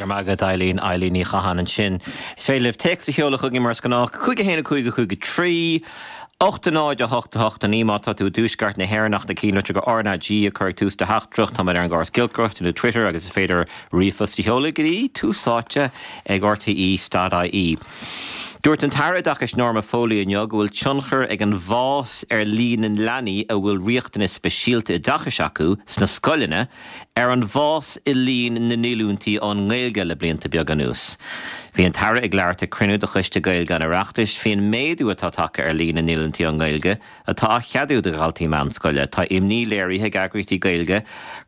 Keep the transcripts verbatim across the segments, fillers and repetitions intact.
Go raibh maith agat Eileen Eileen Ní Chatháin ansin. Is féidir libh téacs a sheoladh chugainn mar is gnách cúig a haon a cúig a cúig a trí. ocht a náid a hocht a hocht a naoi má tá tú i dtuaisceart na hÉireann ach na cílitr go RnaG a chur ag tús do theachtaireacht tá ar an gcóras giolcaireachta nó Twitter agus is féidir ríomhphost a sheoladh go dtí Tús Áite ag RTÉ dot IE. Dúirt an tAire Oideachais Norma Foley inniu go bhfuil tionchar ag an bhfás ar líon na leanaí a bhfuil riachtanais speisialta oideachais acu sna scoileanna ar an bhfás i líon na ndíolúintí ón nGaeilge le blianta beaga anuas. Bhí an tAire ag labhairt ag cruinniú de Choiste Gaeilge an Oireachtais faoin méadú atá tagtha ar líon na ndíolúintí ón nGaeilge atá á cheadú do dhaltaí meánscoile. Tá imní léirithe ag eagraíochtaí Gaeilge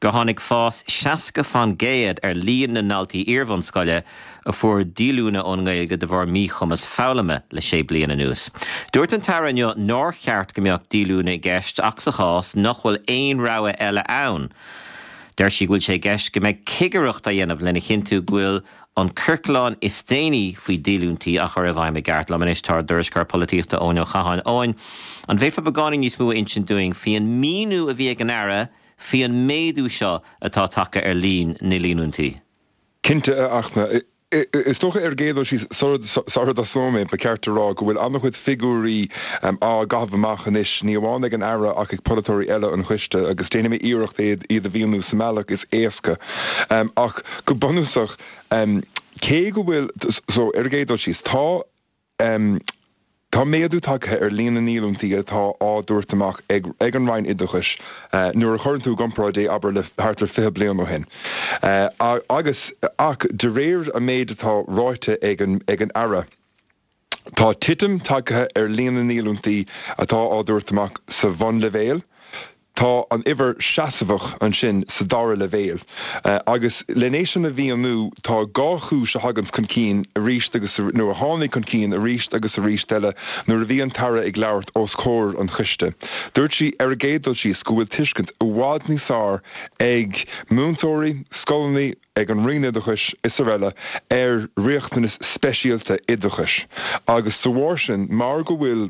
gur tháinig fás seasca faoin gcéad ar líon na ndaltaí iarbhunscoile a fuair díolúine ón nGaeilge de bharr míchumas foghlama le sé bliana anuas. Dúirt an tAire inniu nár cheart go mbeadh díolúine i gceist ach sa chás nach bhfuil aon rogha eile ann. Deir sí go bhfuil sé i gceist go mbeidh cigireacht á dhéanamh lena chinntiú go bhfuil an ciorclán is déanaí faoi dhíolúintí á chur i bhfeidhm i gceart. Liom anois tá ár dtuairisceoir polaitíochta Eoin Ó Catháin. Eoin, an bhféadfá beagáinín níos mó a insint dúinn faoin míniú a bhí ag an Aire faoin méadú seo atá tagtha ar líon na ndíolúintí. Cinnte, a Fhachtna. Is dócha ar an gcéad dul síos, sara dtosóidh mé, ba cheart a rá go bhfuil an-chuid figiúirí á gcaitheamh amach anois, ní amháin ag an Aire ach ag polaiteoirí eile an choiste, agus déanfaidh mé iarracht iad a mhíniú sa mbealach is éasca. Ach go bunúsach, cé go bhfuil, so ar an gcéad dul síos, tá. Tá méadú tagtha ar líon na ndíolúintí atá á dtabhairt amach ag ag an Roinn Oideachais nuair a chuireann tú i gcomparáid é, abair, le thart ar fiche bliain ó shin. Agus, ach de réir an méid atá ráite ag an ag an Aire, tá titim tagtha ar líon na ndíolúintí atá á dtabhairt amach sa bhunleibhéal, Tá an uimhir seasmhach ansin sa dara leibhéal. Agus len é sin a mhíniú, tá dhá chúis a thaganns chun cinn arís agus, nó a tháinig chun cinn arís agus arís eile nuair a bhí an tAire ag labhairt os comhair an choiste. Dúirt sí ar an gcéad dul síos go bhfuil tuiscint i bhfad níos fearr ag múinteoirí, scoileanna, ag an Roinn Oideachais is araile ar riachtanais speisialta oideachais agus de bharr sin, mar go bhfuil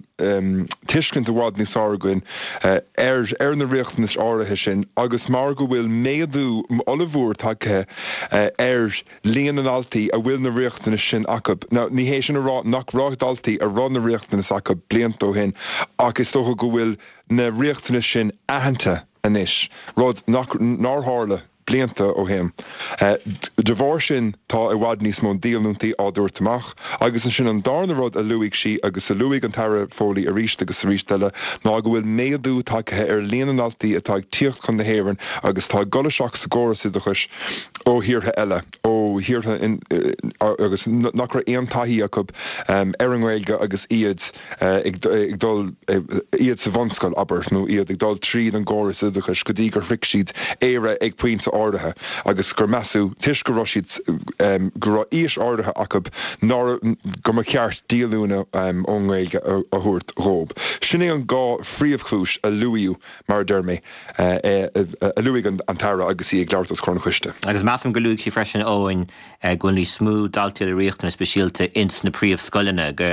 tuiscint i bhfad níos fearr againn ar ar na riachtanais áirithe sin agus mar go bhfuil méadú ollmhór tagtha ar líon na ndaltaí a bhfuil na riachtanais sin acu. Now, ní hé sin a rá nach raibh daltaí a raibh na riachtanais acu blianta ó shin ach is dócha go bhfuil na riachtanais sin aitheanta anois, rud nach nár tharla blianta ó shin. De bharr sin, tá i bhfad níos mó díolúintí á dtabhairt amach. Agus ansin an darna rud a luaigh sí, agus a luaigh an tAire Foley arís agus arís eile, ná go bhfuil méadú tagtha ar líon na ndaltaí atá ag tíocht chun na hÉireann agus atá ag dul isteach sa gcóras oideachais ó thíortha eile, ó thíortha agus nach raibh aon taithí acu ar an nGaeilge agus iad ag dul, iad sa bhunscoil, abair, nó iad ag dul tríd an gcóras oideachais go dtí gur shroich siad Éire ag pointe áirithe agus gur measadh, toisc go raibh siad, go raibh aois áirithe acu, nár, go mba cheart díolúine ón nGaeilge a thabhairt dhóibh. Sin é an dhá phríomhchúis a luaíodh, mar a deir mé, a luaigh an tAire agus í ag labhairt os comhair an choiste. Agus measaim gur luaigh sí freisin, Eoin, go bhfuil níos mó daltaí le riachtanais speisialta ins na príomhscoileanna, go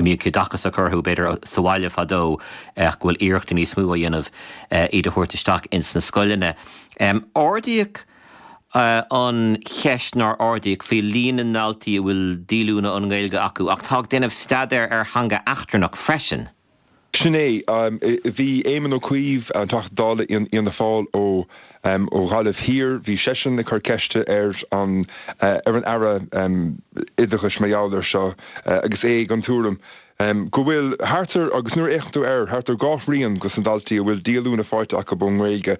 mbíodh oideachas á chur orthu b'fhéidir sa bhaile fadó ach go bhfuil iarrachtaí níos mó á dhéanamh iad a thabhairt isteach ins na scoileanna. Ardaíodh an cheist nár ardaíodh faoi líon na ndaltaí a bhfuil díolúine ón nGaeilge acu ach atá ag déanamh staidéar ar theanga eachtrannach freisin. Sin é. Bhí Éamon Ó Cuív, an Teachta Dála Fhianna Fáil ó ó Ghaillimh Thiar, bhí seisean ag cur ceiste ar an ar an Aire Oideachais mar gheall air seo agus é den tuairim go bhfuil thart ar, agus nuair a fhéachann tú air, thart ar dhá thrian dos na daltaí a bhfuil díolúine faighte acu ón nGaeilge,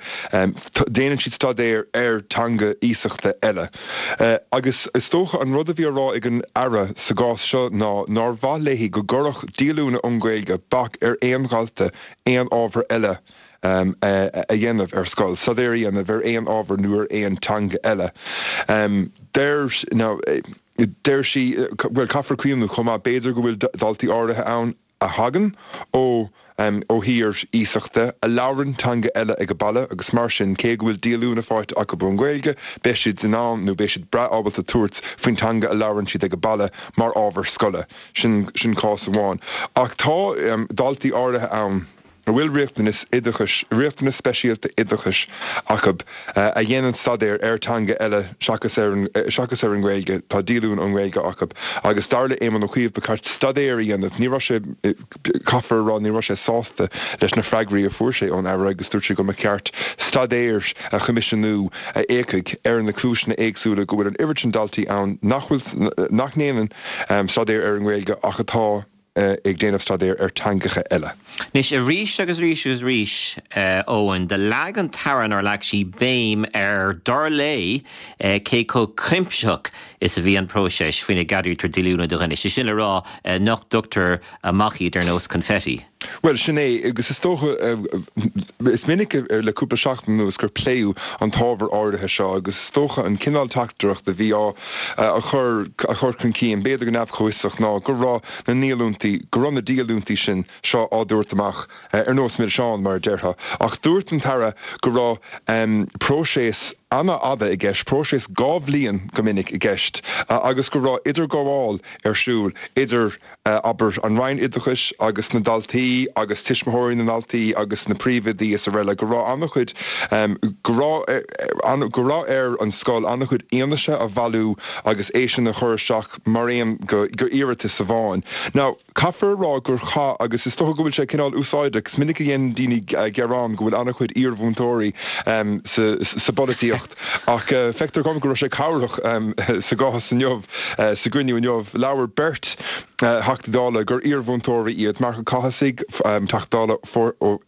déanann siad staidéar ar teanga iasachta eile. Agus is dócha an rud a bhí á rá ag an Aire sa gcás seo ná nár mhaith léi go gcuirfeadh díolúine ón nGaeilge bac ar aon dhalta aon ábhar eile a dhéanamh ar scoil, staidéar a dhéanamh ar aon ábhar nó ar aon teanga eile. Deir, now, deir sí, bhuel, caithfear cuimhneamh chomh maith, b'fhéidir go bhfuil daltaí áirithe ann a thagann ó ó thír iasachta, a labhrann teanga eile ag baile agus mar sin, cé go bhfuil díolúine faighte acu ón nGaeilge, beidh siad in ann nó beidh siad breá ábalta tabhairt faoin teanga a labhrann siad ag baile mar ábhar scoile. Sin sin cás amháin. Ach tá daltaí áirithe ann, a bhfuil riachtanas oideachais, riachtanas speisialta oideachais acu a dhéanann staidéar ar teanga eile seachas ar an seachas ar an nGaeilge, tá díolúine ón nGaeilge acu. Agus dar le Éamon Ó Cuív ba cheart staidéar a dhéanamh. Ní raibh sé, caithfear a rá, ní raibh sé sásta leis na freagraí a fuair sé ón Aire agus dúirt sé go mba cheart staidéar a choimisiúnú a fhéachfadh ar na cúiseanna éagsúla go bhfuil an oiread sin daltaí ann nach bhfuil, nach ndéanann staidéar ar an nGaeilge ach atá ag déanamh staidéir ar teangacha eile. Anois, arís agus arís agus arís, Eoin, do leag an tAire nár leag sí béim ar, dar léi, cé chomh cuimsitheach is a bhí an próiseas faoina gceadaítear díolúine do dhuine, sé sin le rá nach dtugtar amach iad ar nós confetti. Bhuel, sin é, agus is dócha, is minic le cúpla seachtain anuas gur pléadh an t-ábhar áirithe seo agus is dócha an cineál teachtaireacht a bhí á chur a chur chun cinn, b'fhéidir go neamh-chomhfhiosach, ná go raibh na ndíolúintí, go raibh na díolúintí sin seo á dtabhairt amach ar nós milseán, mar a déarfá. Ach dúirt an tAire go raibh próiseas an-fhada i gceist, próiseas dhá bhliain go minic i gceist, agus go raibh idirghabháil ar siúl idir, abair, an Roinn Oideachais agus na daltaí agus tuismitheoirí na ndaltaí agus na príomhoidí is araile, go raibh an-chuid, go raibh, go raibh ar an scoil an-chuid fhianaise a bhailiú agus é sin a chur isteach mar aon go iarratas amháin. Now, caithfear a rá gur chaith, agus is dócha go bhfuil sé cineál úsáideach, is minic a dhéanann daoine gearán go bhfuil an-chuid iarmhúinteoirí sa sa bpolaitíocht ach feictear dom go raibh sé cabhrach sa gcás inniu, sa gcruinniú inniu. Labhair beirt Theachtaí Dála gur iarmhúinteoirí iad, Marc Ó Cathasaigh, Teachta Dála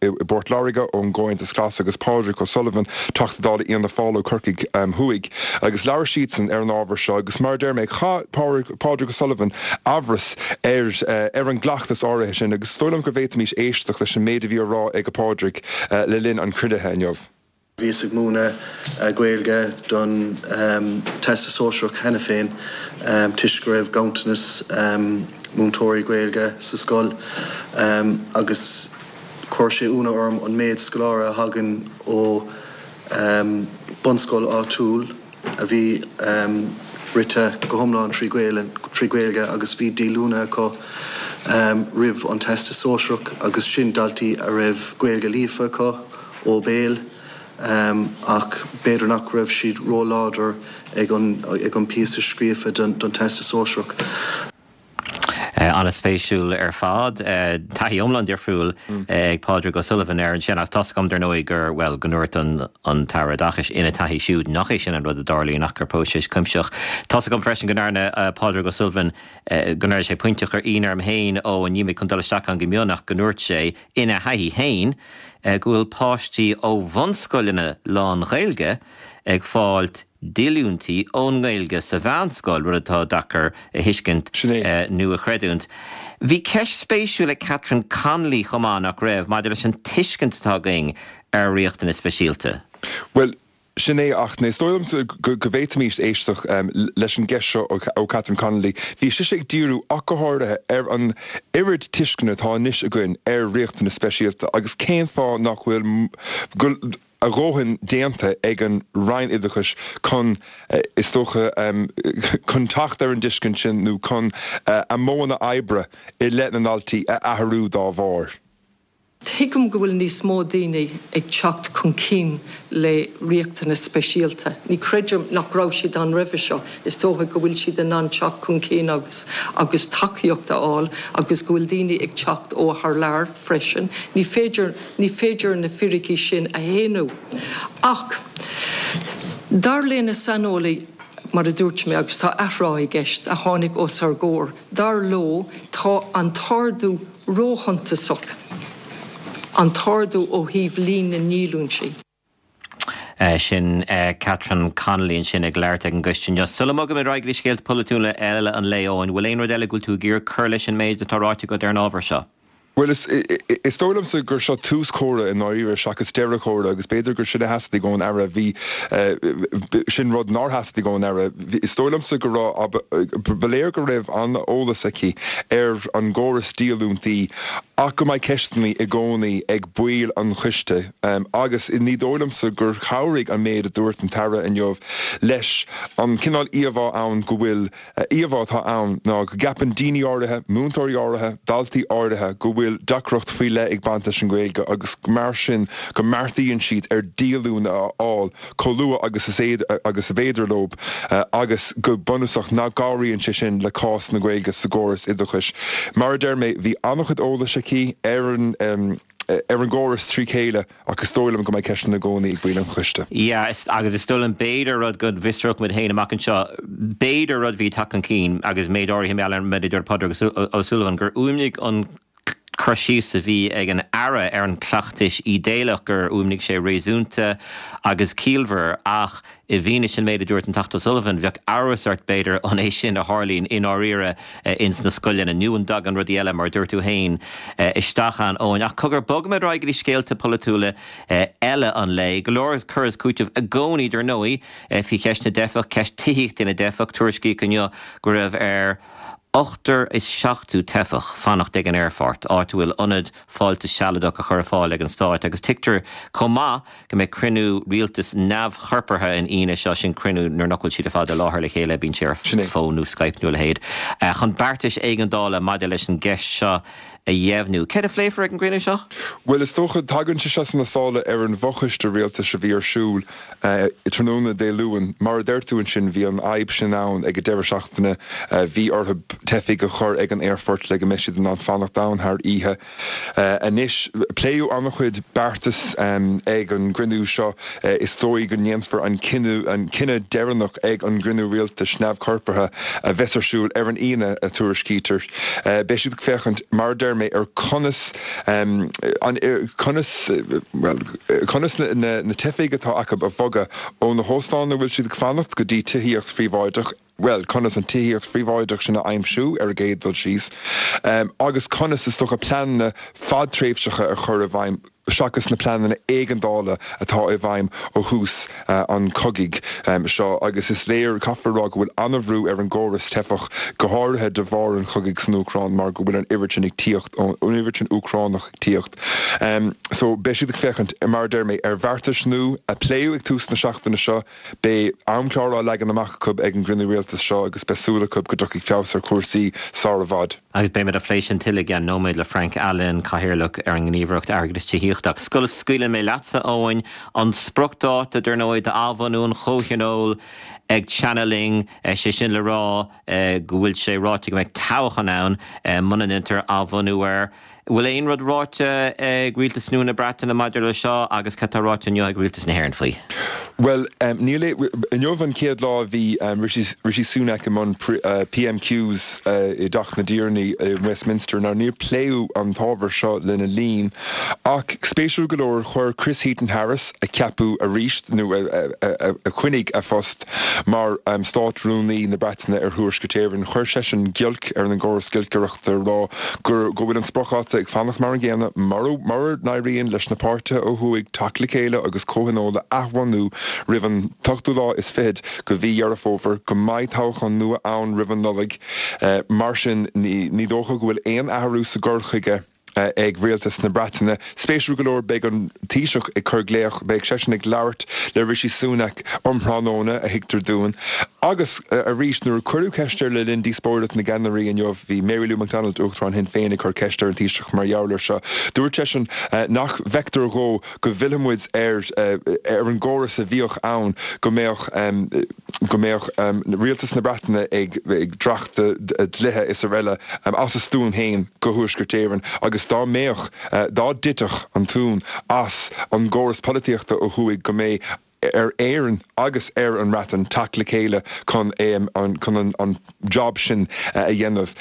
i bPort Láirge ón gComhaontas Glas agus Pádraig O'Sullivan, Teachta Dála Fhianna Fáil ó Chorcaigh Thuaidh agus labhair siadsan ar an ábhar seo agus mar a deir mé, chaith Pádraig O'Sullivan amhras ar ar an gcleachtas áirithe sin agus is dóigh liom go bhféadfaimis éisteacht leis an méid a bhí á rá ag Pádraig le linn an chruinnithe inniu. Bhíos ag múineadh Gaeilge don Teastas Sóisearach cheana féin toisc go raibh ganntanas múinteoirí Gaeilge sa scoil agus chuir sé ionadh orm an méid scoláire a thagann ó bunscoil áitiúil a bhí rite go hiomlán trí Ghaeilge agus bhí díolúine acu roimh an Teastas Sóisearach agus sin daltaí a raibh Gaeilge líofa acu ó bhéal ach b'fhéidir nach raibh siad ró-láidir ag an bpíosa scríofa don Teastas Sóisearach. An-spéisiúil ar fad. Taithí iomlán difriúil ag Pádraig O'Sullivan air ansin ach tá's agam dar ndóigh gur, bhuel, go ndúirt an tAire Oideachais ina taithí siúd nach é sin an rud a dtarlaíonn ach gur próiseas cuimsitheach. Tá's agam freisin go ndearna Pádraig O'Sullivan, go ndearna sé pointe a chuir ionadh orm féin, ó, níl mé chun dul isteach ann go mion ach go ndúirt sé ina thaithí féin go bhfuil páistí ó bhunscoileanna lán-Ghaeilge ag fáilt díolúintí ón nGaeilge sa mheánscoil, rud atá deacair a thuiscint nó a chreidiúint. Bhí ceist spéisiúil ag Catherine Connolly chomh maith, nach raibh, maidir leis an tuiscint atá againn ar riachtanais speisialta. Bhuel, Sin é, ach is dóigh liomsa go bhféadfaimis éisteacht leis an gceist seo ó Catherine Connolly. Bhí sise ag díriú ach go háirithe ar an oiread tuisceana atá anois againn ar riachtanais speisialta agus cén fáth nach bhfuil a dhóthain déanta ag an Roinn Oideachais chun, is dócha, chun teacht ar an dtuiscint sin nó chun a modhanna oibre i leith na ndaltaí a athrú dá bharr. Tuigim go bhfuil níos mó daoine ag teacht chun cinn le riachtanais speisialta. Ní chreidim nach raibh siad ann roimhe seo. Is dócha go bhfuil siad in ann teacht chun cinn agus agus tacaíocht a fháil agus go bhfuil daoine ag teacht ó thar lear freisin. Ní féidir ní féidir na fíricí sin a shéanadh. Ach dar le na saineolaithe, mar a dúirt mé, agus tá athrá i gceist, a tháinig os ár gcomhair, dar leo, tá an t-ardú róshuntasach, an t-ardú ó thaobh líon na ndíolúintí. Sin Catherine Connolly ansin ag labhairt ag an gcoiste inniu. Sula mbogaimid ar aghaidh go dtí scéalta polaitiúla eile an lae, Eoin, bhfuil aon rud eile go bhfuil tú ag iarraidh cur leis an méid atá ráite agat ar an ábhar seo? Bhuel, is is dóigh liomsa gur seo tús comhrá i ndáiríre seachas deireadh comhrá agus b'fhéidir gur sin a theastaigh ón Aire. Bhí, sin rud nár theastaigh ón Aire. Is dóigh liomsa go raibh, ba léir go raibh an-eolas aici ar an gcóras díolúintí Ach go mbeidh ceisteanna i gcónaí ag baill an choiste agus ní dóigh liomsa gur chabhraigh an méid a dúirt an tAire inniu leis an cineál íomhá ann go bhfuil íomhá atá ann ná go gceapann daoine áirithe, múinteoirí áirithe, daltaí áirithe go bhfuil deacracht faoi leith ag baint leis an Ghaeilge agus mar sin go mbeartaíonn siad ar díolúine a fháil chomh luath agus is agus is féidir leo agus go bunúsach nach gcabhraíonn sé sin le cás na Gaeilge sa gcóras oideachais. Mar a deir mé, bhí an-chuid eolais aici ar an ar an gcóras trí chéile ach is dóigh liom go mbeidh ceisteanna i gcónaí ag baill an choiste. Yeah, agus is dóigh liom b'fhéidir rud go bhfiosródh muid féin amach anseo, b'fhéidir rud a bhí ag teacht chun cinn agus méid áirithe mé ar méid a dúirt Pádraig Ó Súilleabháin gur fhuaimnigh an cur síos a bhí ag an Aire ar an cleachtais ídéalach gur fhuaimnigh sé réasúnta agus ciallmhar ach i bhfianaise an méid a dúirt an Teachta O'Sullivan, bheadh amhras ort b'fhéidir an é sin a tharlaíonn i ndáiríre ins na scoileanna nó an dtagann rudaí eile mar a dúirt tú féin isteach ann Eoin. Ach cogar bogfaimid ar aghaidh go dtí scéalta polaitiúla eile an lae. Go leor cur is cúiteamh i gcónaí dar ndóigh faoi cheist na dteifeach, ceist tithíochta na dteifeach, tuairiscíodh inniu go raibh ar ochtar is seachtó teifeach fanacht ag an aerfort, áit a bhfuil ionad fáilte sealadach a chur ar fáil ag an Stát, agus tuigtear chomh maith go mbeidh cruinniú rialtais neamhchorpraithe an Aoine seo, sin cruinniú nuair nach bhfuil siad ar fad i láthair le chéile, bíonn sé ar fón nó Skype nó a leithéid, chun beartais éigeandála maidir leis an gceist seo a dheimhniú. Céard a phléifear ag an gcruinniú seo? Bhuel, is dócha, tagann sé seo sna sála ar an bhfochoiste rialtais a bhí ar siúl tráthnóna Dé Luain. Mar a deir tú ansin, bhí an fhadhb sin ann ag an deireadh seachtaine. Bhí orthu teifigh a chur ag an aerfort le go mbeidh siad in ann fanacht ann thar oíche. Anois, pléadh an-chuid beartas ag an gcruinniú seo. Is dóigh go ndéanfar an cinneadh an cinneadh deireanach ag an gcruinniú rialtais neamhchorpraithe a bheas ar siúl ar an Aoine, a tuairiscítear. Beidh siad ag féachaint, mar a deir mé, ar conas an conas bhuel conas na na teifigh atá acu a bhogadh ó na hóstáin a bhfuil siad ag fanacht go dtí tithíocht phríobháideach, bhuel conas an tithíocht phríobháideach sin a aimsiú ar an gcéad dul síos agus conas is dócha pleananna fadtréimhseacha a chur i bhfeidhm seachas na pleananna éigeandála atá i bhfeidhm ó thús an chogaidh seo agus is léir, caithfear a rá, go bhfuil an-bhrú ar an gcóras teifeach, go háirithe de bharr an chogaidh san Úcráin mar go bhfuil an oiread sin ag tíocht, an oiread sin Úcránach ag tíocht. So beidh siad ag féachaint, mar a deir mé, ar bheartais nua a pléadh ag tús na seachtaine seo. Beidh amchlár á leagan amach acu ag an gcruinniú rialtais seo agus beidh súil acu go dtiocfaidh feabhas ar chúrsaí sár i bhfad. Agus beimid ag plé sin tuilleadh i gceann nóiméad le Frank Allen, Cathaoirleach ar an nGníomhaireacht Airgeadais Tithíochta. Ach sula scaoileann mé leatsa, Eoin, an spriocdháta, dar ndóigh, d'athbhunú an Chomhthionóil ag teannadh linn, sé sin le rá go bhfuil sé ráite go mbeidh toghchán ann muna ndéantar athbhunú air. Bhfuil aon rud ráite ag rialtas nua na Breataine maidir le seo agus cad tá ráite inniu ag rialtas na hÉireann faoi? Bhuel, níl. Inniu an chéad lá a bhí Rishi Sunak i mbun PMQs i dTeach na dTiarnaí i Westminster. Now níor pléadh an t-ábhar seo lena linn ach spéisiúil go leor chuir Chris Heaton-Harris, a ceapadh arís nó a choinnigh a phost mar Stát-Rúnaí na Breataine ar Thuaisceart Éireann, chuir seisean giolc ar an gcóras giolcaireachta ag rá go bhfuil an spriocdháta ag fanacht mar an gcéanna mura n-éiríonn leis na páirtithe ó thuaidh teacht le chéile agus comhthionól a athbhunú roimh an t-ochtú lá is fichead de mhí Dheireadh Fómhair, go mbeidh toghchán nua ann roimh an Nollaig. Mar sin, ní dócha go bhfuil aon athrú sa gcur chuige ag rialtas na Breataine. Spéisiúil go leor, beidh an Taoiseach ag cur glaoch, beidh seisean ag labhairt le Rishi Sunak um thráthnóna, a thuigtear dúinn. Agus arís, nuair a cuireadh ceist air le linn díospóireacht na gceannairí inniu, bhí Mary Lou McDonald, Uachtarán Shinn Féin, ag cur ceist ar an Taoiseach mar gheall air seo. Dúirt seisean nach bhfeictear dhó go bhfillfidh muid ar ar an gcóras a bhíodh ann, go mbeadh go mbeadh rialtas na Breataine ag dreachtadh dlíthe is araile as a stuaim féin go Thuaisceart Éireann agus dá mbeadh, dá dtitfeadh an tóin as an gcóras polaitíochta ó thuaidh go mbeadh ar Éirinn agus ar an mBreatain teacht le chéile chun chun an job sin a dhéanamh.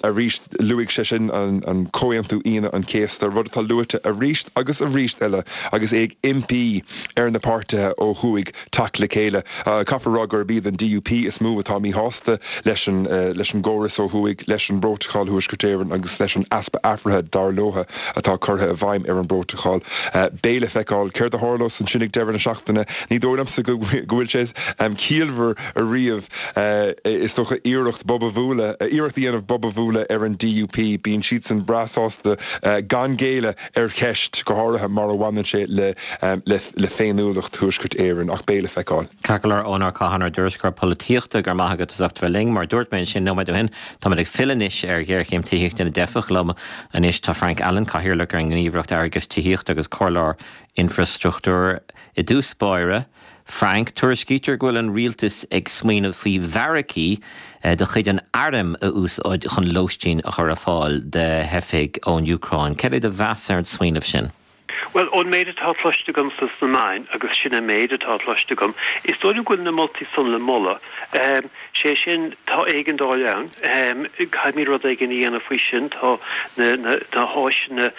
Arís, luaigh sé sin an Comhaontú Aoine an Chéasta, rud atá luaite arís agus arís eile agus é ag impí ar na páirtithe ó thuaidh teacht le chéile. Caithfear a rá gurb iad an DUP is mó atá míshásta leis an leis an gcóras ó thuaidh, leis an bPrótacal Thuaisceart Éireann agus leis an easpa athraithe, dar leo, atá curtha i bhfeidhm ar an bPrótacal. Beidh le feiceáil céard a tharlós ansin ag deireadh na seachtaine. Ní dóigh liomsa go bhfuil sé ciallmhar ariamh is dócha iarracht bob a bhualadh, iarracht a dhéanamh bob a bhualadh ar an D U P. Bíonn siadsan breá sásta gan géilleadh ar cheist, go háirithe mar a bhaineann sé le le féiniúlacht Thuaisceart Éireann, ach beidh le feiceáil. Ceart go leor, Eoin Ó Catháin, ár dtuairisceoir polaitíochta, go raibh maith agat as ucht bheith linn. Mar a dúirt mé ansin nóiméad ó shin, táimid ag filleadh anois ar ghéarchéim tithíochta na dteifeach. Liom anois tá Frank Allen, Cathaoirleach ar an nGníomhaireacht Airgeadais Tithíochta agus Comhairleoir Infreastruchtúir. I dtús báire, Frank, tuairiscítear go bhfuil an rialtas ag smaoineamh faoi bheairicí de chuid an airm a úsáid chun lóistín a chur ar fáil do theifigh ón Úcráin. Cad é do mheas ar an smaoineamh sin? Bhuel, ón méid atá cloiste agam sna meáin, agus sin an méid atá cloiste agam, is dóigh liom go bhfuil na moltaí san le moladh. Sé sin, tá éigeandáil ann, caithfimid rud éigin a dhéanamh faoi sin, tá na na háiseanna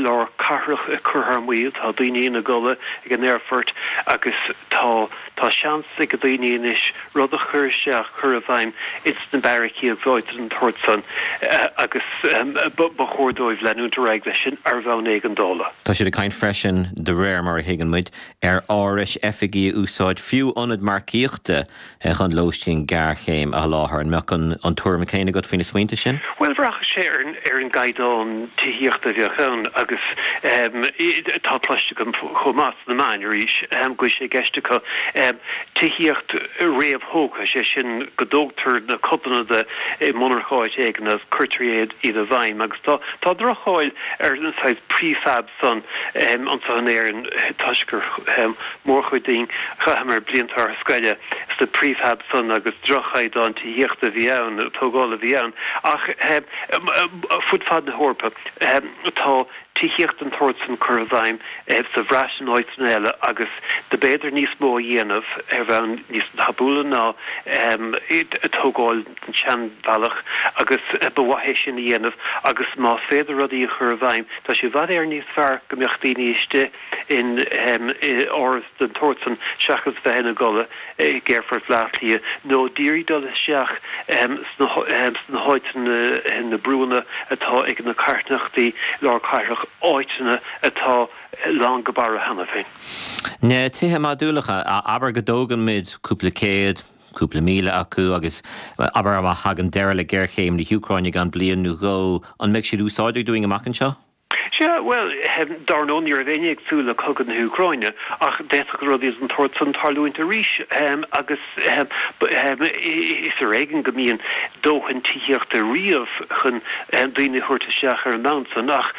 lár cathrach ag cur thar maoil, tá daoine ina gcodladh ag an aerfort agus tá tá seans ag daoine anois rud a chur isteach, cur i bhfeidhm ins na beairicí agus áiteanna den tsórt san agus ba chóir dóibh leanúint ar aghaidh leis sin ar bhonn éigeandála. Tá siad ag caint freisin, de réir mar a thuigeann muid, ar árais oifigí a úsáid, fiú ionad marcaíochta chun lóistín géarchéime a sholáthar. An mbeadh an an tuairim céanna agat faoi na smaointe sin? Bhuel, bhraitheadh sé ar ar an gcaighdeán tithíochta a bheadh ann agus tá cloiste agam chomh maith sna meáin arís go bhfuil sé i gceist acu tithíocht réamhthógtha, sé sin go dtógtar na codanna de i monarcha áit éigin agus cuirtear iad i bhfeidhm agus tá tá droch-cháil ar an saghas prefab san anseo in Éirinn toisc gur mórchuid dínn chaitheamar blianta ár scoile sna prefab san agus droch-chaighdeán tithíochta a bhí ann, tógála a bhí ann ach fud fad na hEorpa tá tithíocht den tsórt san curtha i bhfeidhm sa Bhreatain áiteanna eile agus do b'fhéidir níos mó a dhéanamh ar bhonn níos tapúla ná tógáil den tseanbhealach agus ba mhaith é sin a dhéanamh agus más féidir rudaí a chur i bhfeidhm tá sé i bhfad Éireann níos fearr go mbeadh daoine istigh in áras den tsórt san seachas bheith ina gcodladh ag Aerfort Bhaile Átha Cliath nó d'iarraidh dul isteach sna háiteanna na brúnna atá ag na carthanachtaí lár cathrach, áiteanna atá lán go barra cheana féin. Na tithe modúlacha, abair go dtógann muid cúpla céad, cúpla míle acu agus abair má thagann deireadh le géarchéim na hÚcráine i gceann bliain nó dhó, an mbeidh siad úsáideach dúinn amach anseo? Sea, bhuel, dar ndóigh ní raibh éinne ag súil le cogadh na hÚcráine ach d'fhéadfadh rudaí den tsórt san tarlúint arís agus is ar éigean go mbíonn dóthain tithíochta riamh chun daoine a thabhairt isteach ar an mbonn san ach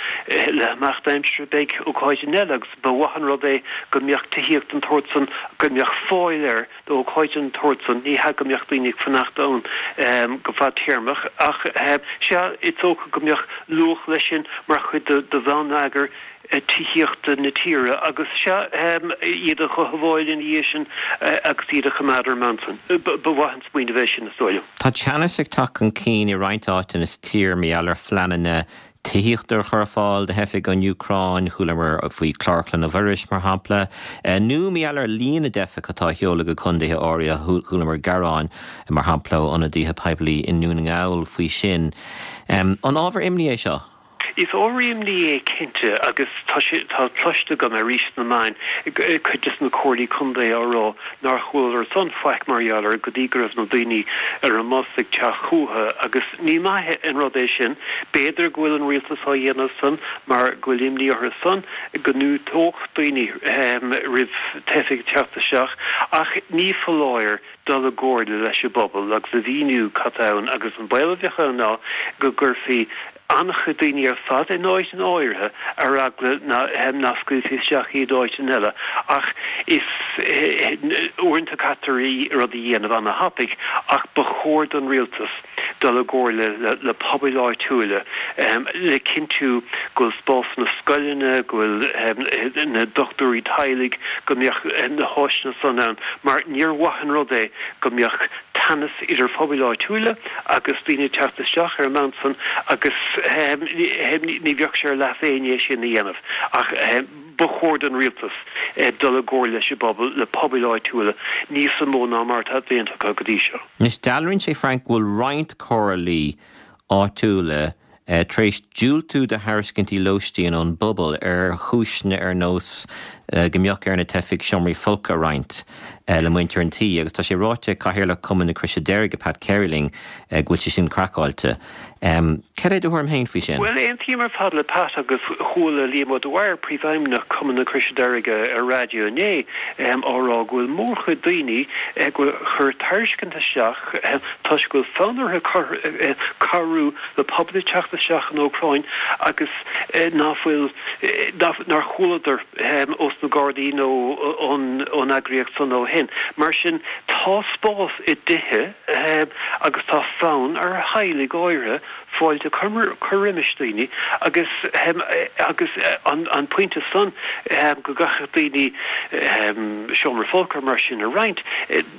le himeacht aimsire beidh ócáideanna eile agus ba mhaith an rud é go mbeadh tithíocht den tsórt san, go mbeadh fáil air d'ócáid den tsórt san. Ní hea go mbeadh daoine ag fanacht ann go fadtéarmach ach sea, is dócha go mbeadh luach leis sin mar chuid de bhonneagar tithíochta na tíre agus sea, iad a chothabháil ina dhiaidh sin agus iad a choimeád ar an mbonn san. Ba mhaith an smaoineamh é sin, is dóigh liom. Tá teannas ag teacht chun cinn i roinnt áiteanna sa tír mar gheall ar phleananna tithíochta a chur ar fáil do theifigh ón Úcráin, chualamar faoi Chlár Chlainne Mhuiris, mar shampla, nó mar gheall ar líon na dteifeach atá á sheoladh go contaetha áirithe, chualamar gearáin, mar shampla, ó ionadaithe poiblí i nDún na nGall faoi sin. An ábhar imní é seo? Is ábhar imní é cinnte agus tá sé, tá cloiste agam arís sna meáin cuid des na comhairlí contae á rá nár chualadar san faic mar gheall air go dtí go raibh na daoine ar an mbus ag teacht chucu agus ní maith an rud é sin. B'fhéidir go bhfuil an rialtas á dhéanamh san mar go bhfuil imní orthu san go ndiúltódh daoine roimh teifigh teacht isteach ach ní foláir dul i gcomhairle leis an bpobal agus a mhíniú cad tá ann agus an baol a bheadh ann ná go gcuirfí an-chuid daoine ar fad in áiteanna áirithe ar eagla nach scaoilfí isteach iad áiteanna eile ach is uaireanta caitear rud a dhéanamh ana-thapaidh ach ba chóir don rialtas dul i gcomhairle le pobail áitiúla le cinntiú go bhfuil spásanna scoileanna, go bhfuil na dochtúirí teaghlaigh, go mbeadh na háiseanna san ann mar níor mhaith an rud é go mbeadh teannas idir phobail áitiúla agus daoine ag teacht isteach ar an mbonn san agus ní bheadh sé ar leas éinne é sin a dhéanamh ach ba chóir don rialtas dul i gcomhairle leis an bpobal, le pobail áitiúla níos mó ná mar atá déanta acu go dtí seo. Anois, dealraíonn sé, Frank, go bhfuil roinnt comhairlí áitiúla tar éis diúltú do thairiscintí lóistín ón bpobal ar chúiseanna ar nós go mbeadh ar na teifigh seomraí folctha a roinnt le muintir an tí agus tá sé ráite ag Cathaoirleach Chumann na Croise Deirge, Pat Carey linn, go bhfuil sé sin craiceáilte. Cad é do thuairim féin faoi sin? Bhuel, aontaím ar fad le Pat agus chuala Liam Ó Dwyer, Príomhfheidhmeannach Chumann na Croise Deirge ar raidió inné á rá go bhfuil mórchuid daoine a chuir tairiscint isteach toisc go bhfuil fonn orthu cabhrú le pobal ag teacht isteach ón Úcráin agus ná fuil, nár chualadar ós na Gardaí nó ón eagraíocht san ó shin. Mar sin, tá spás i dtithe agus tá fonn ar theaghlaigh áirithe fáilte a chur roimis daoine agus agus an pointe san go gcaithfeadh daoine seomra folctha mar sin a roinnt.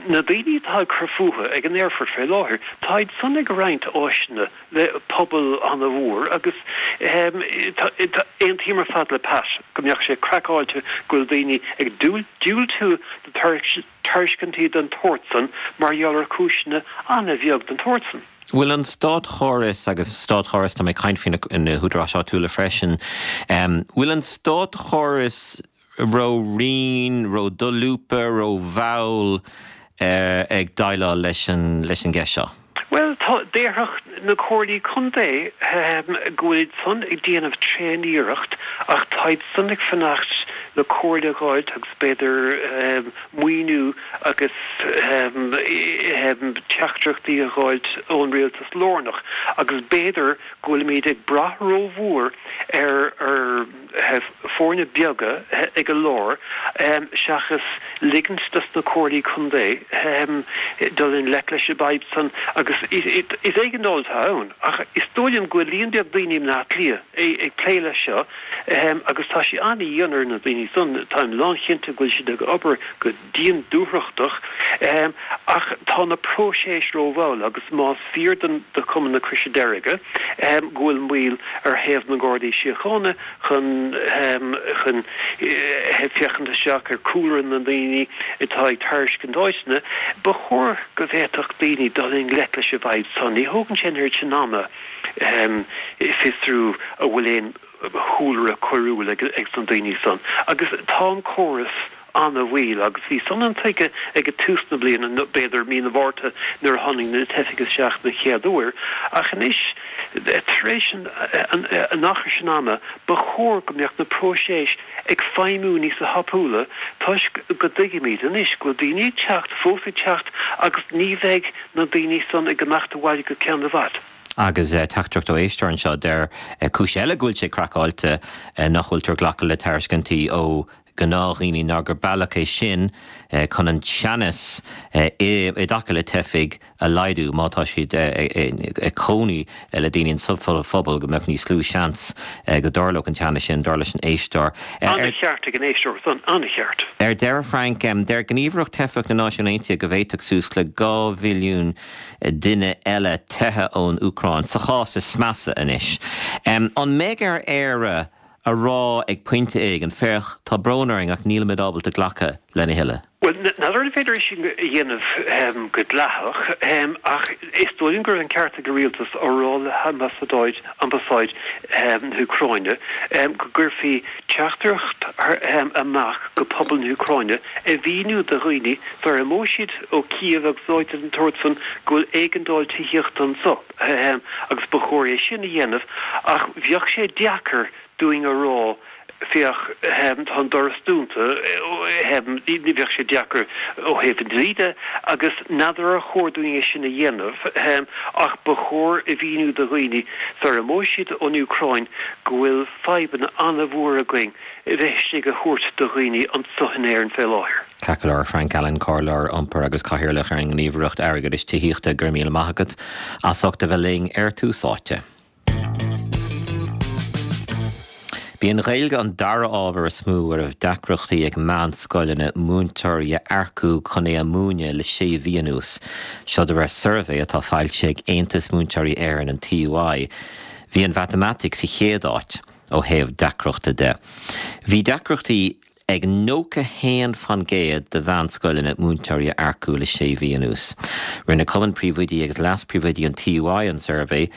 Na daoine atá ag cur fúthu ag an aerfort fé láthair, táid san ag roinnt áiseanna le pobal ana-mhór agus aontaím ar fad le Pat go mbeadh sé craiceáilte go bhfuil daoine ag diúltú do tairiscintí den tsórt san mar gheall ar chúiseanna ana-bheag den tsórt san. Bhfuil an státchóras, agus státchóras, tá mé ag caint faoi na húdaráis áitiúla freisin, bhfuil an státchóras ró-righin, ró-dholúbtha, ró-mhall ag déileáil leis an leis an gceist seo? Bhuel, tá, déarfadh na comhairlí contae go bhfuilid san ag déanamh tréan-iarracht ach táid san ag fanacht le comhairle a dh'fháilt agus b'fhéidir maoiniú agus teachtaireachtaí a dh'fháilt ón rialtas lárnach agus b'fhéidir go bhfuilimid ag brath rómhór ar foirne beaga ag an lár seachas ligint dos na comhairlí contae dul i ngleic leis an bhfadhb san agus is éigeandáil atá ann ach is dóigh liom go bhfuil líon beag daoine i mBleá Cliath ag plé leis seo agus tá sé an-dhian ar na daoine san, táim lánchinnte go bhfuil siad ag obair go dian dúthrachtach ach tá na próiseas rómhall agus más fíor do Chumann na Croise Deirge go bhfuil moill ar thaobh na nGardaí Síochána chun chun féachaint isteach ar chúlra na ndaoine atá ag tairiscint áiteanna, ba chóir go bhféadfadh daoine dul i ngleic leis an bhfadhb san. Ní thógann sé an oiread sin ama fiosrú an bhfuil aon chúlra coiriúil ag na daoine san. Agus tá an córas ana-mhoill agus bhí san intuigthe ag tús na bliana, nó b'fhéidir mí na Márta nuair a tháinig na teifigh isteach den chéad uair, ach anois tar éis an achar sin ama ba chóir go mbeadh na próiseas ag feidhmiú níos tapúla toisc go dtuigimid anois go bhfuil daoine ag teacht, fós ag teacht agus ní bheidh na daoine san ag imeacht abhaile go ceann i bhfad. Agus teachtaireacht ó éisteoir anseo, deir cúis eile go bhfuil sé craiceáilte nach bhfuiltear ag glacadh le tairiscintí ó ghnáthdhaoine ná gur bealach é sin chun an teannas i dtaca le teifigh a laghdú má tá siad ag cónaí le daoine sa phobal go mbeadh níos lú seans go dtarlódh an teannas sin, dar leis an éisteoir. An-cheart ag an éisteoir san, an-cheart. Ar deireadh, Frank, deir Gníomhaireacht Teifeach na Náisiún Aontaithe go bhféadfadh suas le dhá mhilliún duine eile teitheadh ón Úcráin, sa chás is measa anois. An mbeidh ar Éire a rá ag pointe éigin, féach, tá brón orainn ach nílimid ábalta glacadh lena thuilleadh? Bhuel, n'fheadar an féidir é sin a dhéanamh go dleathach, ach is dóigh liom go raibh an ceart ag an rialtas á rá le hambasáid ambasáid na hÚcráine go gcuirfí teachtaireacht amach go pobal na hÚcráine a mhíniú do dhaoine sar a imeoidh siad ó Kiev agus áiteanna den tsórt san go bhfuil éigeandáil tithíochta anso agus ba chóir é sin a dhéanamh ach bheadh sé deacair dúinn a rá, féach, tá an doras dúnta, bheadh sé deacair ó thaobh an dlí de agus n'fheadar ar chóir dúinn é sin a dhéanamh ach ba chóir a mhíniú do dhaoine sar a imeoidh siad ón Úcráin go bhfuil fadhbanna an-mhór againn a bheith istigh a thabhairt do dhaoine anso in Éirinn fé láthair. Ceart go leor, Frank Allen, Comhairleoir Iompair agus Cathaoirleach ar an nGníomhaireacht Airgeadais Tithíochta, go raibh míle maith agat as ucht a bheith linn ar Tús Áite. B'í an Ghaeilge an dara ábhar is mó a raibh deacrachtaí ag meánscoileanna múinteoirí a earcú chun é a mhúineadh le sé mhí anuas. Seo de réir suirbhé atá foilsithe ag Aontas Múinteoirí Éireann, an TUI. Bhí an mhatamaitic sa chéad áit ó thaobh deacrachta de. Bhí deacrachtaí ag nócha haon fan gcéad de mheánscoileanna múinteoirí a earcú le sé mhí anuas. Rinne Cumann Príomhoidí agus Leas-Phríomhoidí an TUI an suirbhé